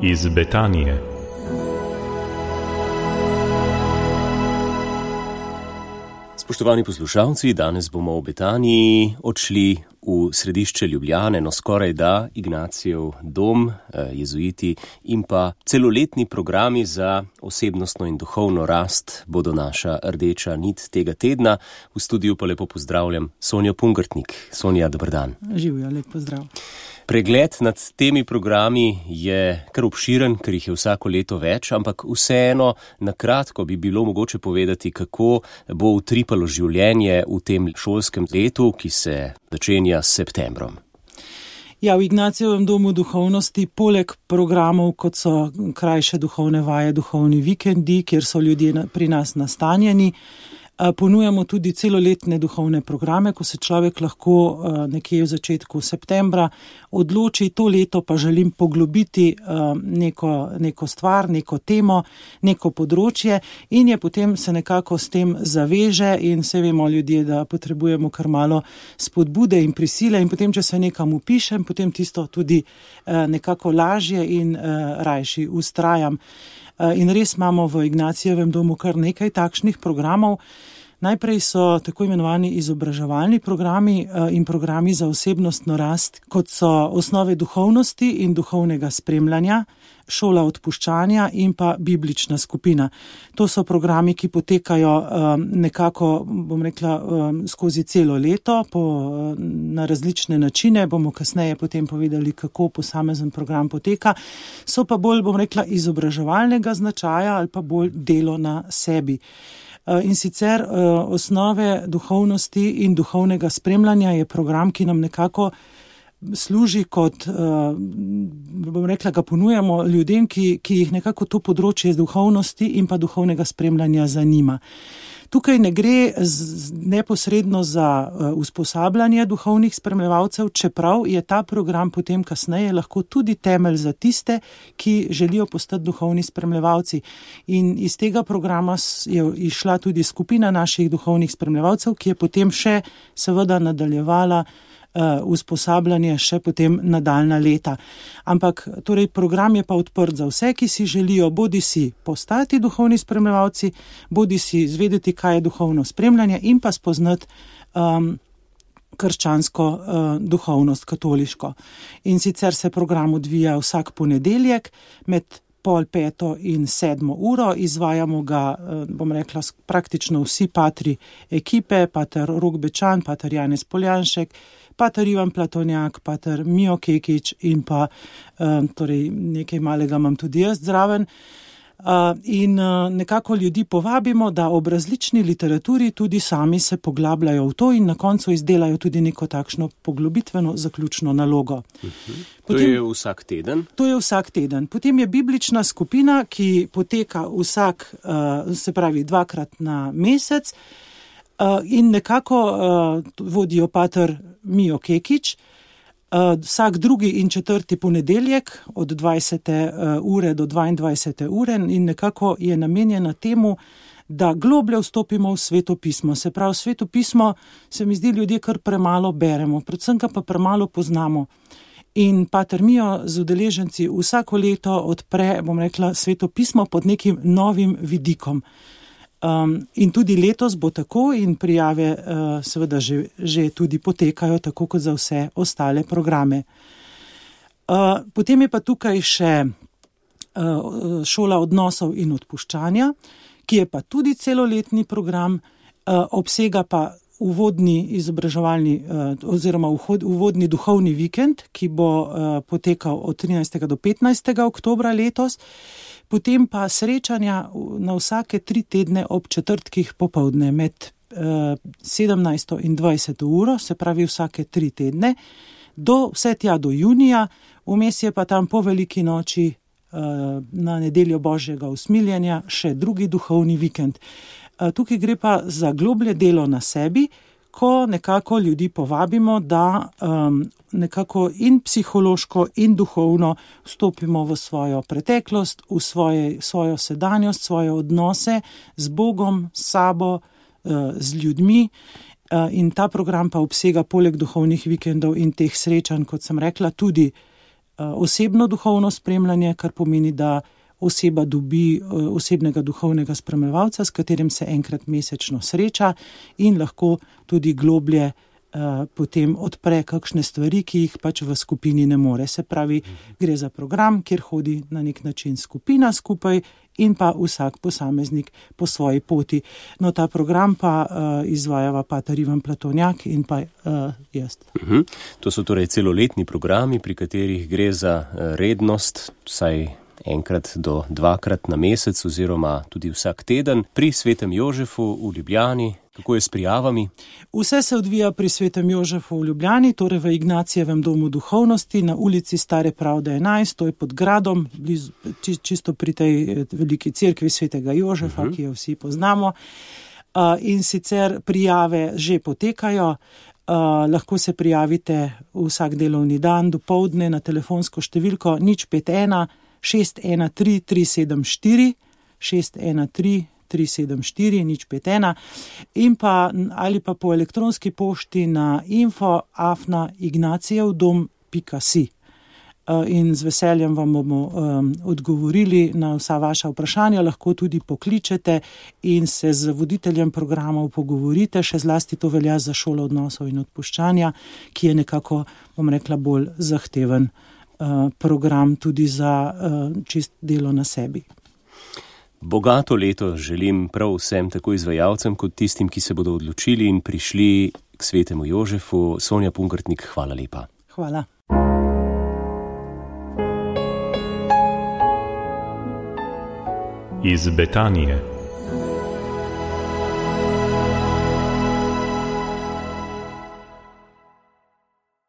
iz Betanije. Spoštovani poslušalci, danes bomo v Betaniji odšli v središče Ljubljane, no skoraj da Ignacijev dom, jezuiti in pa celoletni programi za osebnostno in duhovno rast bodo naša rdeča nit tega tedna. V studiu pa lepo pozdravljam Sonjo Pungartnik. Sonja, dober dan. Živjo, lep pozdrav. Pregled nad temi programi je kar obširen, ker jih je vsako leto več, ampak vseeno na kratko bi bilo mogoče povedati, kako bo utripalo življenje v tem šolskem letu, ki se začenja s septembrom. Ja, v Ignacijevem domu duhovnosti poleg programov, kot so krajše duhovne vaje, duhovni vikendi, kjer so ljudje pri nas nastanjeni, ponujamo tudi celoletne duhovne programe, ko se človek lahko nekje v začetku septembra odloči, to leto pa želim poglobiti neko stvar, neko temo, neko področje in je potem se nekako s tem zaveže in vse vemo ljudje, da potrebujemo kar malo spodbude in prisile in potem, če se nekam upišem, potem tisto tudi nekako lažje in rajši vztrajam. In res imamo v Ignacijevem domu kar nekaj takšnih programov. Najprej so tako imenovani izobraževalni programi in programi za osebnostno rast, kot so osnove duhovnosti in duhovnega spremljanja, šola odpuščanja in pa biblična skupina. To so programi, ki potekajo nekako, bom rekla, skozi celo leto na različne načine. Bomo kasneje potem povedali, kako posamezen program poteka. So pa bolj, bom rekla, izobraževalnega značaja ali pa bolj delo na sebi. In sicer osnove duhovnosti in duhovnega spremljanja je program, ki nam nekako služi kot, bom rekla, ga ponujamo ljudem, ki jih nekako to področje duhovnosti in pa duhovnega spremljanja zanima. Tukaj ne gre neposredno za usposabljanje duhovnih spremljevalcev, čeprav je ta program potem kasneje lahko tudi temelj za tiste, ki želijo postati duhovni spremljevalci. In iz tega programa je išla tudi skupina naših duhovnih spremljevalcev, ki je potem še seveda nadaljevala usposabljanje še potem nadaljna leta. Ampak torej program je pa odprt za vse, ki si želijo bodi si postati duhovni spremljevalci, bodi si izvedeti, kaj je duhovno spremljanje in pa spoznati krščansko duhovnost, katoliško. In sicer se program odvija vsak ponedeljek med 4:30 in 7 uro, izvajamo ga, bom rekla, praktično vsi patri ekipe, pater Rok Bečan, pater Janez Poljanšek, pater Ivan Platonjak, pater Mijo Kekič in pa torej nekaj malega imam tudi jaz zraven. In nekako ljudi povabimo, da ob različni literaturi tudi sami se poglabljajo v to in na koncu izdelajo tudi neko takšno poglobitveno zaključno nalogo. To je vsak teden? To je vsak teden. Potem je biblična skupina, ki poteka se pravi 2-krat na mesec in nekako vodijo pater Mijo Kekič. Vsak drugi in četrti ponedeljek od 20. ure do 22. ure in nekako je namenjena temu, da globlje vstopimo v Sveto pismo. Se pravi, Sveto pismo se mi zdi ljudje kar premalo beremo, predvsem pa premalo poznamo. In pater Mijo z udeleženci vsako leto odpre, bom rekla, Sveto pismo pod nekim novim vidikom. In tudi letos bo tako in prijave seveda že tudi potekajo tako kot za vse ostale programe. Potem je pa tukaj še šola odnosov in odpuščanja, ki je pa tudi celoletni program, obsega pa uvodni izobraževalni oziroma uvodni duhovni vikend, ki bo potekal od 13. do 15. oktobra letos. Potem pa srečanja na vsake 3 tedne ob četrtkih popoldne med 17. in 20. uro, se pravi vsake 3 tedne, vse tja do junija, vmes je pa tam po veliki noči na nedeljo Božjega usmiljenja še drugi duhovni vikend. Tukaj gre pa za globlje delo na sebi, ko nekako ljudi povabimo, da nekako in psihološko in duhovno vstopimo v svojo preteklost, v svojo sedanjost, svoje odnose z Bogom, s sabo, z ljudmi. In ta program pa obsega poleg duhovnih vikendov in teh srečanj, kot sem rekla, tudi osebno duhovno spremljanje, kar pomeni, da oseba dobi osebnega duhovnega spremljevalca, s katerim se enkrat mesečno sreča in lahko tudi globlje potem odpre kakšne stvari, ki jih pač v skupini ne more. Se pravi, gre za program, kjer hodi na nek način skupina skupaj in pa vsak posameznik po svoji poti. No, ta program pa izvajava pater Ivan Platonjak in pa jaz. To so torej celoletni programi, pri katerih gre za rednost, vsaj enkrat do dvakrat na mesec oziroma tudi vsak teden pri Svetem Jožefu v Ljubljani. Kako je s prijavami? Vse se odvija pri Svetem Jožefu v Ljubljani, torej v Ignacijevem domu duhovnosti na ulici Stare Pravde 11, to je pod gradom, blizu, čisto pri tej veliki cerkvi Svetega Jožefa, ki jo vsi poznamo. In sicer prijave že potekajo. Lahko se prijavite vsak delovni dan dopoldne na telefonsko številko 051 613 374 613 374 051 in pa ali pa po elektronski pošti na info@ignaciyevdom.si. In z veseljem vam bomo odgovorili na vsa vaša vprašanja, lahko tudi pokličete in se z voditeljem programov pogovorite, še zlasti to velja za šolo odnosov in odpuščanja, ki je nekako, bom rekla, bolj zahteven program tudi za čist delo na sebi. Bogato leto želim prav vsem, tako izvajalcem kot tistim, ki se bodo odločili in prišli k Svetemu Jožefu. Sonja Pungartnik, hvala lepa. Hvala. Iz Betanije.